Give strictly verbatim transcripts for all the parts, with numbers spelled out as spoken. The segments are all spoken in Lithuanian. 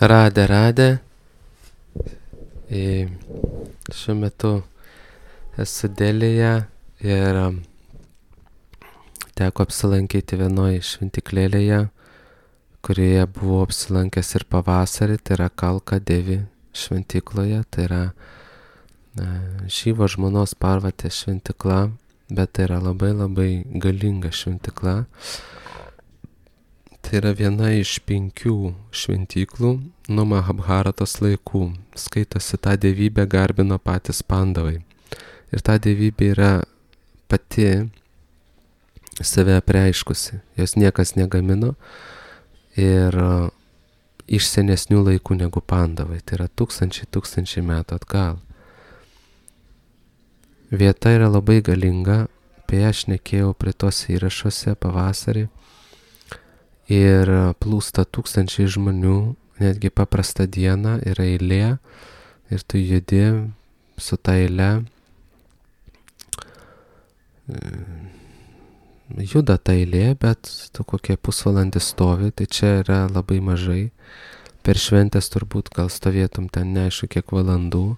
Radę, radę. E, Šiuo metu esu Delėje ir um, teko apsilankyti vienoje šventyklėlėje, kurioje buvau apsilankęs ir pavasarį, tai yra Kalka Devi šventykloje, tai yra e, Šyvo žmonos Parvatės šventykla, bet tai yra labai labai galinga šventykla. Tai yra viena iš penkių šventyklų nuo Mahabharatos laikų. Skaitosi, tą dievybę garbino patys Pandavai. Ir ta dievybė yra pati save apreiškusi. Jos niekas negamino ir uh, iš senesnių laikų negu Pandavai. Tai yra tūkstančiai tūkstančiai metų atgal. Vieta yra labai galinga, apie ją šnekėjau prie tos įrašuose pavasarį. Ir plūsta tūkstančiai žmonių, netgi paprastą dieną yra eilė ir tu judi su ta eile, juda ta eilė, bet tu kokie pusvalandį stovi, tai čia yra labai mažai. Per šventės turbūt gal stovėtum ten neaišku kiek valandų.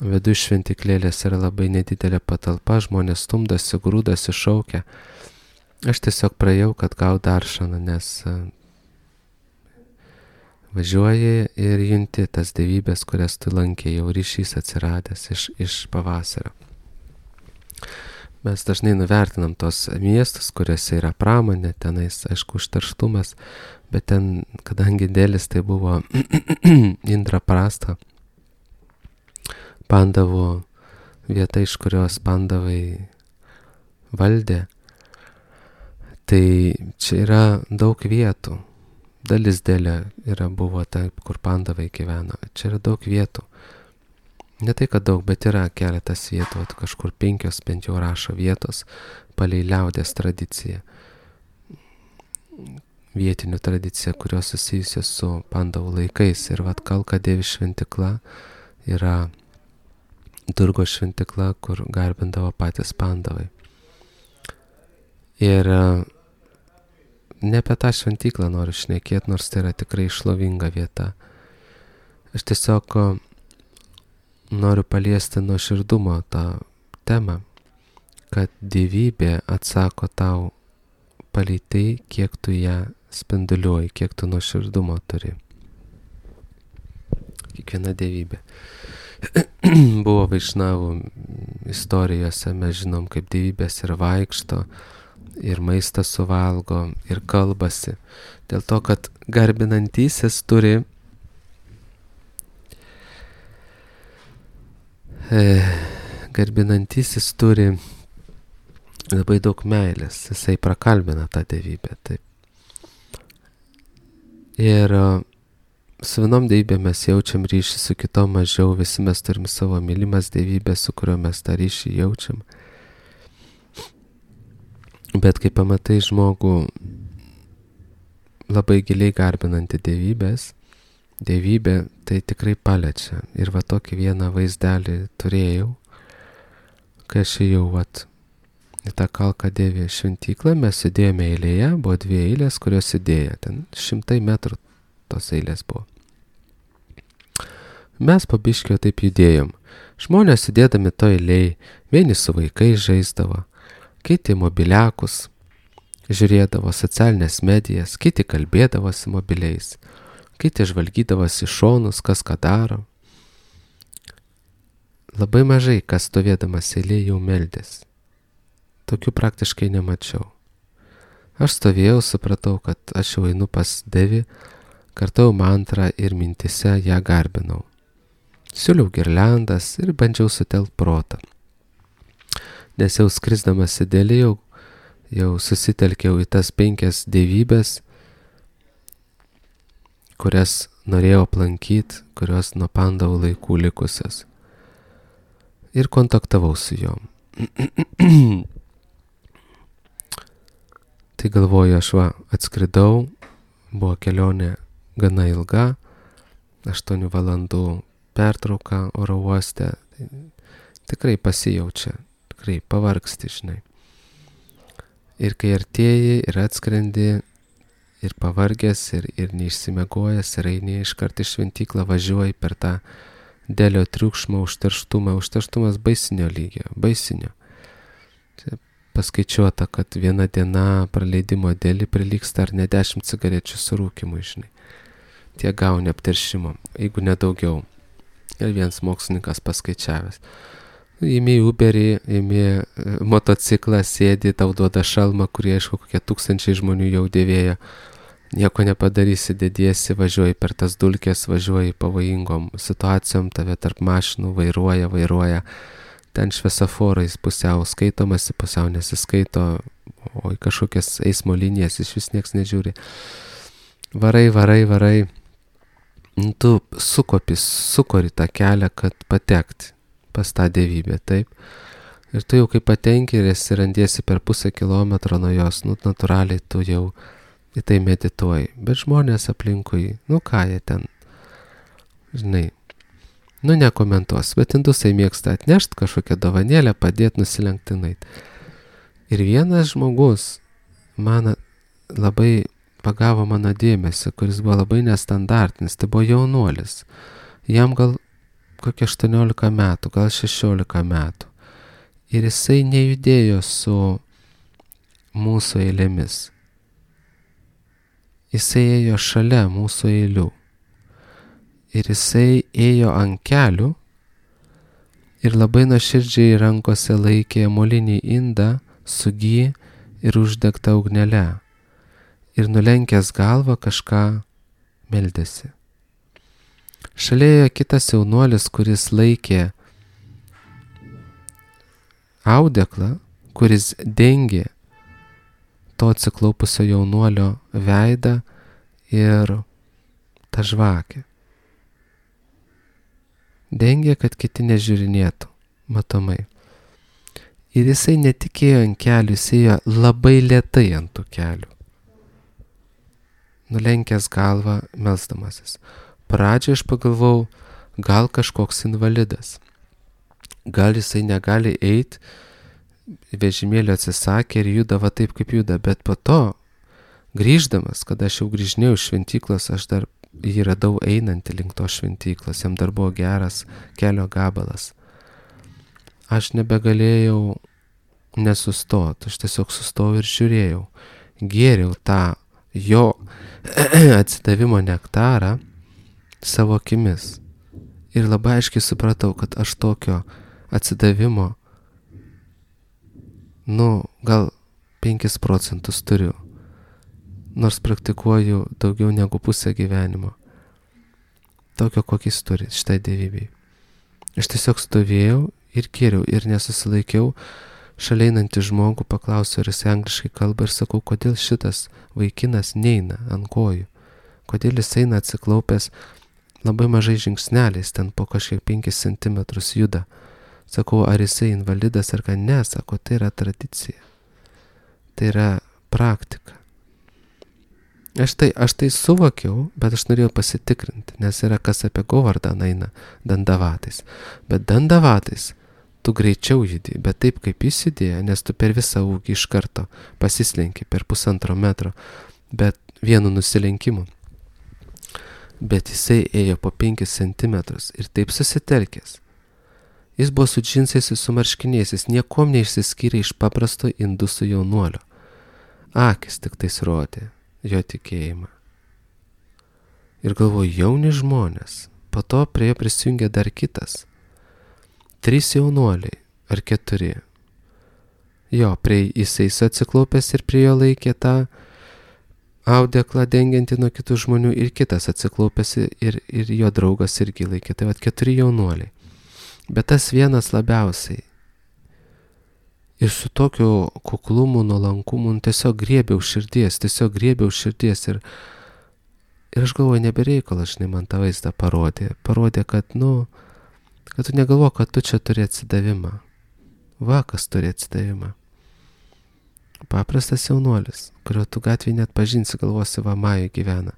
Viduj šventyklėlės yra labai nedidelė patalpa, žmonės stumdasi, grūdasi, šaukia. Aš tiesiog praėjau, kad gau daršaną, nes važiuoji ir junti tas dievybės, kurias tu lankė, jau ryšys atsiradęs iš, iš pavasario. Mes dažnai nuvertinam tos miestus, kuriuose yra pramonė, tenais, aišku, užterštumas, bet ten, kadangi Delis tai buvo Indraprasta, Pandavų vieta, iš kurios Pandavai valdė, tai čia yra daug vietų. Dalis Delė yra buvo taip, kur Pandavai gyveno. Čia yra daug vietų. Ne tai, kad daug, bet yra keletas vietų, at kažkur penkios bent jau rašo vietos palei liaudės tradiciją. Vietinių tradiciją, kurios susijusios su Pandavų laikais. Ir vat Kalka Devi šventykla yra Durgos šventykla, kur garbindavo patys Pandavai. Ir ne apie tą šventyklą noriu šnekėti, nors tai yra tikrai šlovinga vieta. Aš tiesiog noriu paliesti nuoširdumo tą temą, kad dievybė atsako tau palei tai, kiek tu ją spinduliuoji, kiek tu nuoširdumo turi. Kiekviena dievybė. Buvo Vaišnavų istorijose, mes žinom, kaip dievybės ir vaikšto, ir maistą suvalgo, ir kalbasi. Dėl to, kad garbinantysis turi e, garbinantysis turi labai daug meilės. Jisai prakalbina tą dievybę. Taip. Ir su vienom dievybėm mes jaučiam ryšį, su kitom mažiau. Visi mes turim savo mylimas dievybės, su kurio mes tą ryšį jaučiam. Bet kai pamatai žmogų labai giliai garbinantį dievybės, dievybė tai tikrai paliečia. Ir va tokį vieną vaizdelį turėjau, kai aš ėjau vat į tą Kalka Devi šventyklą, mes sėdėjome eilėje, buvo dvi eilės, kurios sėdėjo, ten šimtai metrų tos eilės buvo. Mes po biškio taip judėjom. Žmonės sėdėdami to eilėj, vieni su vaikais žaisdavo, kiti mobiliakus, žiūrėdavo socialinės medijas, kiti kalbėdavosi mobiliais, kiti žvalgydavosi šonus, kas ką daro. Labai mažai, kas stovėdamas eilėje jau meldės. Tokių praktiškai nemačiau. Aš stovėjau, supratau, kad aš jau einu pas Devi, kartojau mantrą ir mintise ją garbinau. Siūliau girliandas ir bandžiau sutelt protą. Nes jau skrisdamas į Delį jau, jau susitelkiau į tas penkias dievybės, kurias norėjau aplankyti, kurios nuo Pandavų laikų likusios. Ir kontaktavau su jom. Tai galvoju, aš va atskridau, buvo kelionė gana ilga, aštuonių valandų pertrauka oro uoste, tai tikrai pasijaučia. Tikrai pavargsti, žinai. Ir kai artėji ir atskrendi ir pavargęs, ir, ir neišsimegojęs, ir eini iškart į šventyklą, važiuoji per tą dėlio triukšmą, užterštumą, užterštumas baisinio lygio, baisinio. Čia paskaičiuota, kad viena diena praleidimo dėlį prilygsta ar ne dešimt cigarečių surūkimui, žinai. Tie gauni apteršimo, jeigu nedaugiau. Ir vienas mokslininkas paskaičiavęs. Imi Uberį, imi motociklą, sėdi, tau duoda šalmą, kurie, aišku, kokie tūkstančiai žmonių jau dėvėjo. Nieko nepadarysi, dediesi, važiuoji per tas dulkės, važiuoji pavojingom situacijom, tave tarp mašinų vairuoja, vairuoja. Ten šviesoforais pusiau skaitomasi, pusiau nesiskaito, o į kažkokias eismo linijas iš vis nieks nežiūri. Varai, varai, varai. Tu sukopis, sukori tą kelią, kad patekti pas tą dievybę, taip. Ir tu jau kai patenki ir esi randiesi per pusę kilometro nuo jos, nu, natūraliai tu jau į tai medituoji. Bet žmonės aplinkui, nu ką jie ten, žinai, nu nekomentuos, bet indusai mėgsta atnešti kažkokią dovanėlę, padėti nusilenktinait. Ir vienas žmogus man labai pagavo mano dėmesį, kuris buvo labai nestandartinis, tai buvo jaunuolis. Jam gal kokie aštuoniolika metų, gal šešiolika metų. Ir jisai nejudėjo su mūsų eilėmis. Jisai ėjo šalia mūsų eilių. Ir jisai ėjo ant kelių ir labai nuoširdžiai rankose laikė molinį indą su gy ir uždegtą ugnelę. Ir nulenkęs galvą kažką meldėsi. Šalia ėjo kitas jaunuolis, kuris laikė audeklą, kuris dengė to atsiklaupusio jaunuolio veidą ir tą žvakę. Dengė, kad kiti nežiūrinėtų, matomai. Ir jisai netikėjo ant kelių, jisai ėjo labai lėtai ant tų kelių. Nulenkęs galvą, melsdamasis. Pradžioje aš pagalvojau, gal kažkoks invalidas. Gal jisai negali eiti, vežimėlio atsisakė ir juda va taip, kaip juda. Bet po to, grįždamas, kada aš jau grįžinėjau iš šventyklos, aš dar jį radau einantį link to šventyklos. Jam dar buvo geras kelio gabalas. Aš nebegalėjau nesustoti. Aš tiesiog sustojau ir žiūrėjau. Gėriau tą jo atsidavimo nektarą savo akimis. Ir labai aiškiai supratau, kad aš tokio atsidavimo, nu, gal penkis procentus turiu, nors praktikuoju daugiau negu pusę gyvenimo. Tokio, kokį jis turi šitai dievybei. Aš tiesiog stovėjau ir gėriau ir nesusilaikiau. Šalia einantį žmogų paklausiau, ar jis angliškai kalba ir sakau, kodėl šitas vaikinas neina ant kojų. Kodėl jis eina atsiklaupęs labai mažai žingsneliais, ten po kažkiek penkis centimetrus juda. Sakau, ar jisai invalidas ar ką? Ne, sako, tai yra tradicija. Tai yra praktika. Aš tai, aš tai suvokiau, bet aš norėjau pasitikrinti, nes yra kas apie Govardą eina dandavatais. Bet dandavatais tu greičiau judi, bet taip kaip jis judėjo, nes tu per visą ūgį iš karto pasislenki per pusantro metro, bet vienu nusilenkimu. Bet jisai ėjo po penkis centimetrus ir taip susitelkęs. Jis buvo su džinsais ir su marškiniais, jis niekom neišsiskyrė iš paprasto indusų jaunuolio. Akis tik tais rodė jo tikėjimą. Ir galvoju, jauni žmonės, po to prie jo prisijungė dar kitas. Trys jaunuoliai, ar keturi. Jo, prie jisai atsiklaupęs ir prie jo laikė tą audeklą dengiantį nuo kitų žmonių ir kitas atsiklaupęs ir, ir jo draugas irgi laikė. Tai vat keturi jaunuoliai. Bet tas vienas labiausiai. Ir su tokiu kuklumu, nuolankumu, tiesiog griebiau širdies, tiesiog griebiau širdies ir, ir aš galvoju, nebereikalas, žinai, man tą vaizdą parodė. Parodė, kad, nu, kad tu negalvo, kad tu čia turi atsidavimą. Va, kas turi atsidavimą. Paprastas jaunuolis, kurio tu gatvėje net pažinsi, galvosi, va, Majų gyvena.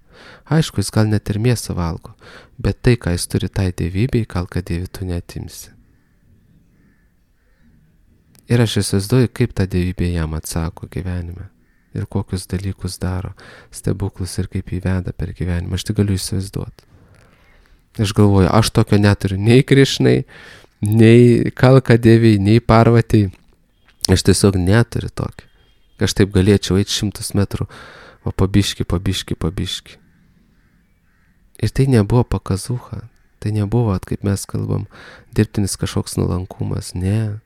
Aišku, jis gal net ir mėsą valgo, bet tai, ką jis turi tai dievybei, gal kad dievį tu neatimsi. Ir aš įsivaizduoju, kaip ta dievybė jam atsako gyvenime. ir kokius dalykus daro, stebuklus ir kaip jį veda per gyvenimą. Aš tik galiu įsivaizduoti. Aš galvoju, aš tokio neturiu nei Krišnai, nei Kalka Deviai, nei Parvatai. Aš tiesiog neturiu tokio. Aš taip galėčiau eiti šimtus metrų, o pabiški, pabiški, pabiški. Ir tai nebuvo pakazucha. Tai nebuvo, kaip mes kalbam, dirbtinis kažkoks nuolankumas. Ne.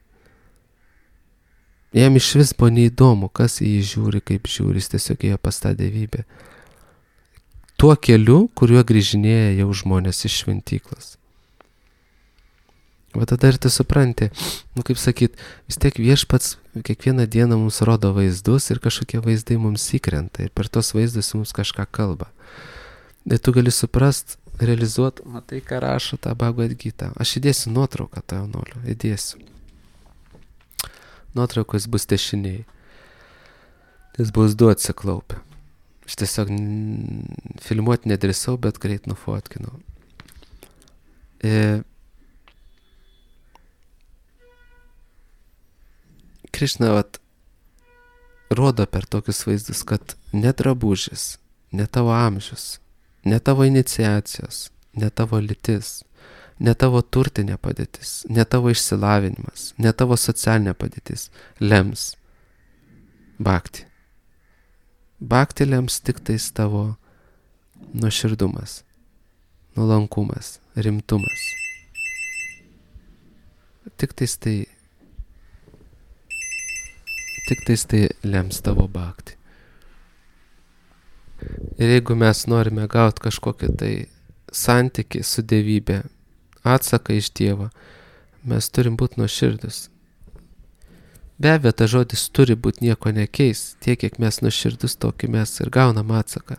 Jam iš vis buvo neįdomu, kas į jį žiūri, kaip žiūri. Jis tiesiog ėjo pas tą dievybę. Tuo keliu, kuriuo grįžinėja jau žmonės iš šventyklos. O tada ir tu supranti, nu kaip sakyt, vis tiek Viešpats kiekvieną dieną mums rodo vaizdus ir kažkokie vaizdai mums įkrenta ir per tos vaizdus mums kažką kalba. Ir tu gali suprast, realizuot, matai, ką rašo tą Bhagavad Gita. Aš įdėsiu nuotrauką tą jaunolio, įdėsiu. Nuotraukos bus dešiniai. Jis bus du atsiklaupę. Aš tiesiog filmuoti nedrįsau, bet greit nufotkinau. E, Krišna vat rodo per tokius vaizdus, kad ne drabužis, ne tavo amžius, ne tavo iniciacijos, ne tavo lytis, ne tavo turtinė padėtis, ne tavo išsilavinimas, ne tavo socialinė padėtis lems bhakti. Bhakti lems tik tais tavo nuoširdumas, nuolankumas, rimtumas. Tik tais tai, tik tais tai lems tavo bhakti. Ir jeigu mes norime gauti kažkokį tai santykį su dievybė, atsaką iš Dievo, mes turim būti nuoširdus. Be abejo, ta žodis turi būti nieko nekeis, tiek kiek mes nuoširdus, tokį mes ir gaunam atsaką.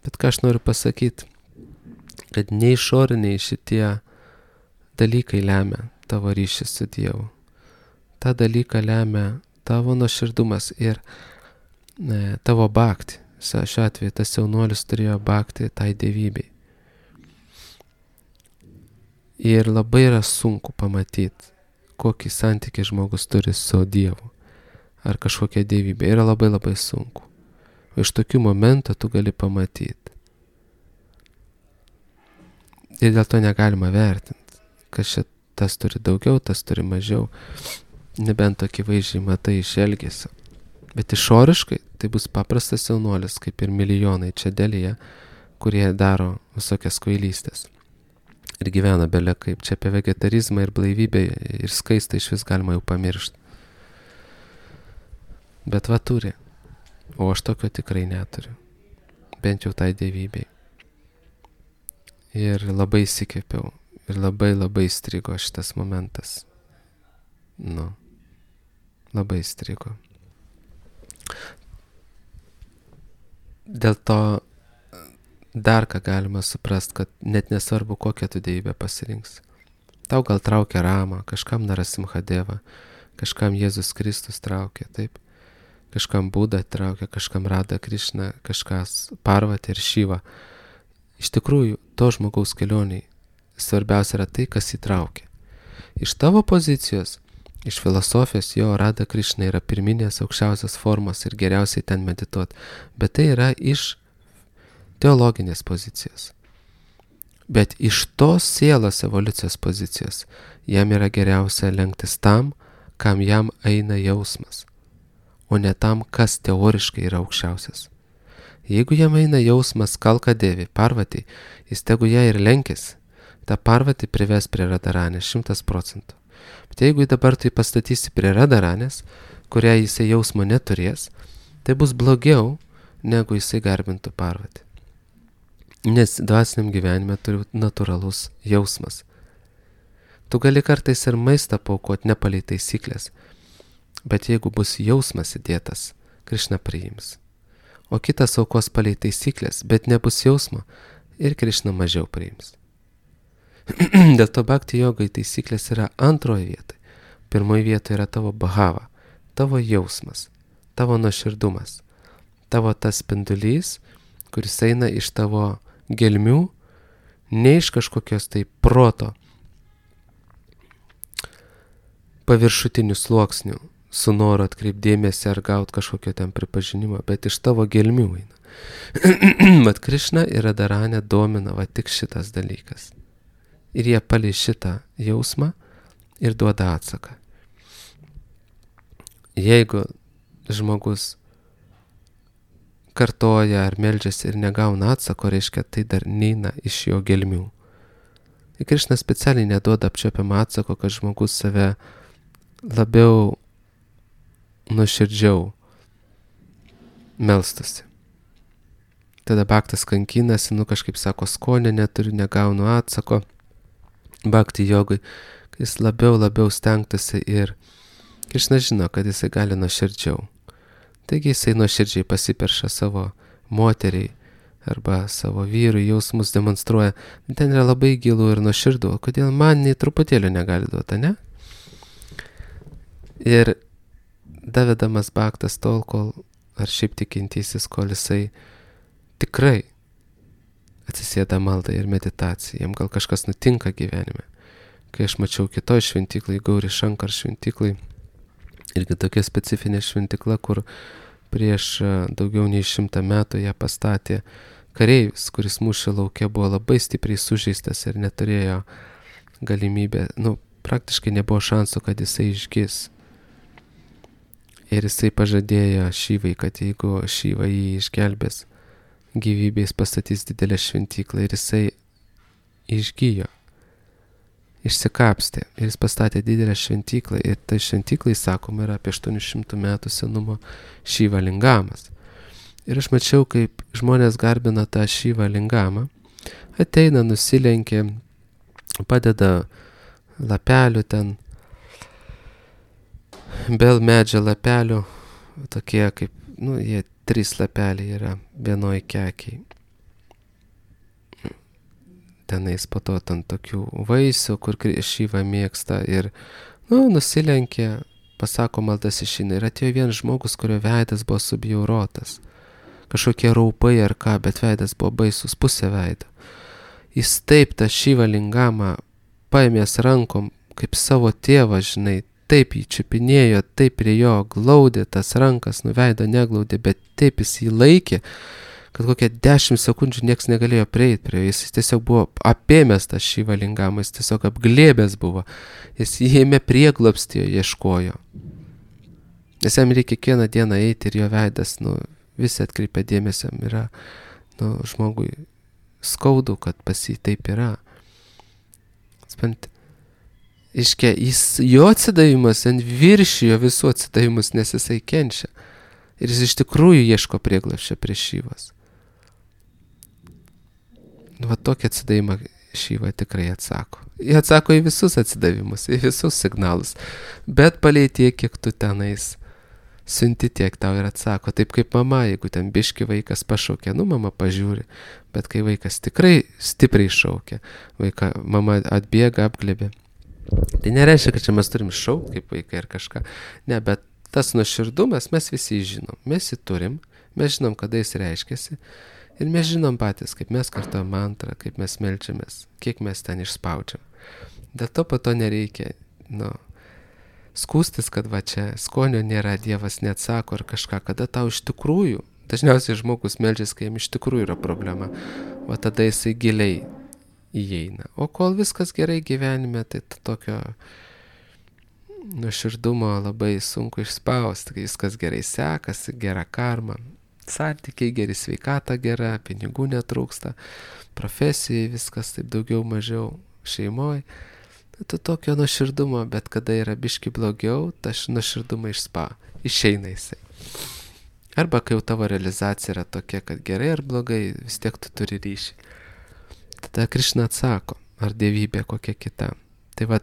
Bet ką aš noriu pasakyti, kad nei išoriniai šitie dalykai lemia tavo ryšį su Dievu. Ta dalyką lemia tavo nuoširdumas ir ne, tavo bhakti. Šiuo atveju tas jaunuolis turėjo bhakti tai dievybei. Ir labai yra sunku pamatyti, kokį santykį žmogus turi su Dievu ar kažkokia dievybė. Yra labai labai sunku. O iš tokių momentų tu gali pamatyti. Ir dėl to negalima vertinti, kad šitas turi daugiau, tas turi mažiau. Nebent tokį vaizdžiai matai iš elgesio. Bet išoriškai tai bus paprastas jaunuolis, kaip ir milijonai čia dėlyje, kurie daro visokias kvailystės. Ir gyvena belė kaip. Čia apie vegetarizmą ir blaivybę ir skaistą iš vis galima jau pamiršti. Bet va turi. O aš tokio tikrai neturiu. Bent jau tai dievybei. Ir labai įsikvėpiau. Ir labai labai strigo šitas momentas. Nu. Labai strigo. Dėl to dar ką galima suprast, kad net nesvarbu, kokią tu dievybę pasirinks. Tau gal traukia Rama, kažkam Narasimhadeva, kažkam Jėzus Kristus traukia, taip? Kažkam Buda traukia, kažkam Radha Krishna, kažkas Parvati ir Šiva. Iš tikrųjų, to žmogaus kelioniai svarbiausia yra tai, kas įtraukia. Iš tavo pozicijos, iš filosofijos, jo Radha Krishna yra pirminės aukščiausios formos ir geriausiai ten medituoti, bet tai yra iš teologinės pozicijos. Bet iš tos sielos evoliucijos pozicijos jam yra geriausia lenktis tam, kam jam eina jausmas, o ne tam, kas teoriškai yra aukščiausias. Jeigu jam eina jausmas Kalka Devi, Parvati, jis tegu ją ir lenkis, ta Parvati prives prie Radharanės šimtas procentų. Bet jeigu dabar tai pastatysi prie Radharanės, kurią jisai jausmo neturės, tai bus blogiau, negu jisai garbintų Parvati. Nes dvasiniam gyvenime turi natūralus jausmas. Tu gali kartais ir maistą paaukoti ne palei taisyklės, bet jeigu bus jausmas įdėtas, Krišna priims. O kitas aukos palei taisyklės, bet nebus jausmo ir Krišna mažiau priims. Dėl to bhakti jogai taisyklės yra antroje vietoje. Pirmoje vietoje yra tavo bhava, tavo jausmas, tavo nuoširdumas, tavo tas spindulys, kuris eina iš tavo gelmių, ne iš kažkokios tai proto paviršutinių sluoksnių, su noru atkreipdėmėsi ar gauti kažkokio ten pripažinimo, bet iš tavo gelmių eina. Vat Krišna ir Radharani domina va tik šitas dalykas. Ir jie palei šitą jausmą ir duoda atsaką. Jeigu žmogus kartoja ar meldžiasi ir negauna atsako, reiškia, tai dar neina iš jo gelmių. Ir Krišna specialiai neduoda apčiuopiamą atsako, kad žmogus save labiau nuoširdžiau melstasi. Tada bhaktas kankinasi, nu kažkaip sako, skonio neturiu, negaunu atsako. Bhakti jogui, kai jis labiau, labiau stengtasi ir Krišna žino, kad jisai gali nuoširdžiau. Taigi jisai nuoširdžiai pasiperša savo moteriai arba savo vyrui, jausmus demonstruoja. Ten yra labai gilų ir nuoširdų, kodėl man nei truputėlio negali duoti, ne? Ir davedamas bhaktas tol, kol, ar šiaip tikintysis, kol jisai tikrai atsisėda maldą ir meditaciją, jam gal kažkas nutinka gyvenime. Kai aš mačiau kitoj šventyklai, Gauri Shankar šventyklai, irgi tokia specifinė šventykla, kur prieš daugiau nei šimtą metų ją pastatė kareivis, kuris mūšio lauke buvo labai stipriai sužeistas ir neturėjo galimybę, nu, praktiškai nebuvo šansų, kad jisai išgis. Ir jisai pažadėjo Šyvai, kad jeigu Šyva jį išgelbės gyvybės, pastatys didelę šventyklą, ir jisai išgijo, išsikapstė, ir jis pastatė didelę šventyklą, ir tai šventyklai, sakoma, yra apie aštuonių šimtų metų senumo Šyva lingamas. Ir aš mačiau, kaip žmonės garbina tą Šyva lingamą, ateina, nusilenkia, padeda lapelių ten, bel medžio lapelių, tokie kaip, nu, jie trys lapeliai yra vienoj kekiai. Tenais po to ten tokių vaisių, kur Šyva mėgsta, ir, nu, nusilenkia, pasako maldas išeina. Ir atėjo vienas žmogus, kurio veidas buvo subjaurotas. Kažkokie raupai ar ką, bet veidas buvo baisus, pusė veido. Jis taip tą Šyva lingamą paėmės rankom, kaip savo tėvą, žinai, taip jį čiupinėjo, taip prie jo glaudė tas rankas, nu veido neglaudė, bet taip jis jį laikė, kad kokią dešimt sekundžių nieks negalėjo prieiti prie jo. Jis tiesiog buvo apėmęs tą Šyva lingamą, jis tiesiog apglėbęs buvo. Jis jėmė prieglobstį, ieškojo. Nes jam reikia kiekvieną dieną eiti ir jo veidas, nu, visi atkreipia dėmesio, yra, nu, žmogui skaudu, kad pas jį taip yra. Spant, iškia, jis, jo atsidavimas ant viršijo visų atsidavimus, nes jisai kenčia. Ir jis iš tikrųjų ieško prieglobsčio prie Šyvos. Nu, va tokį atsidavimą Šyva tikrai atsako. Jie atsako į visus atsidavimus, į visus signalus. Bet palei tiek, kiek tu tenais siunti, tiek tau ir atsako. Taip kaip mama, jeigu ten biški vaikas pašaukia, nu mama pažiūri. Bet kai vaikas tikrai stipriai šaukia, vaika, mama atbėga, apglėbė. Tai nereiškia, kad čia mes turim šaukti kaip vaikai ir kažką. Ne, bet tas nuoširdumas mes visi žinom. Mes jį turim, mes žinom, kada jis reiškiasi. Ir mes žinom patys, kaip mes kartuojam mantrą, kaip mes meldžiamės, kiek mes ten išspaudžiam. Dėl to po to nereikia, nu, skūstis, kad va čia skonio nėra, Dievas neatsako ar kažką, kada tau iš tikrųjų, dažniausiai žmogus meldžiasi, kai jam iš tikrųjų yra problema, o tada jisai giliai įeina. O kol viskas gerai gyvenime, tai tokio nuoširdumo labai sunku išspausti, kai viskas gerai sekasi, gera karma, santykiai geri, sveikata gera, pinigų netrūksta, profesijai viskas taip daugiau mažiau, šeimoje. Tai tokio nuoširdumo, bet kada yra biški blogiau, ta nuoširdumą išspa, išeina jisai. Arba kai jau tavo realizacija yra tokia, kad gerai ar blogai, vis tiek tu turi ryšį. Tada Krišna atsako, ar dievybė kokia kita. Tai va,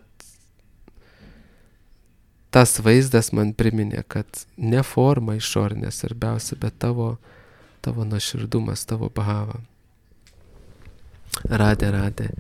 tas vaizdas man priminė, kad ne forma išorinė svarbiausia, bet tavo, tavo nuoširdumas, tavo bhava. Radė, radė.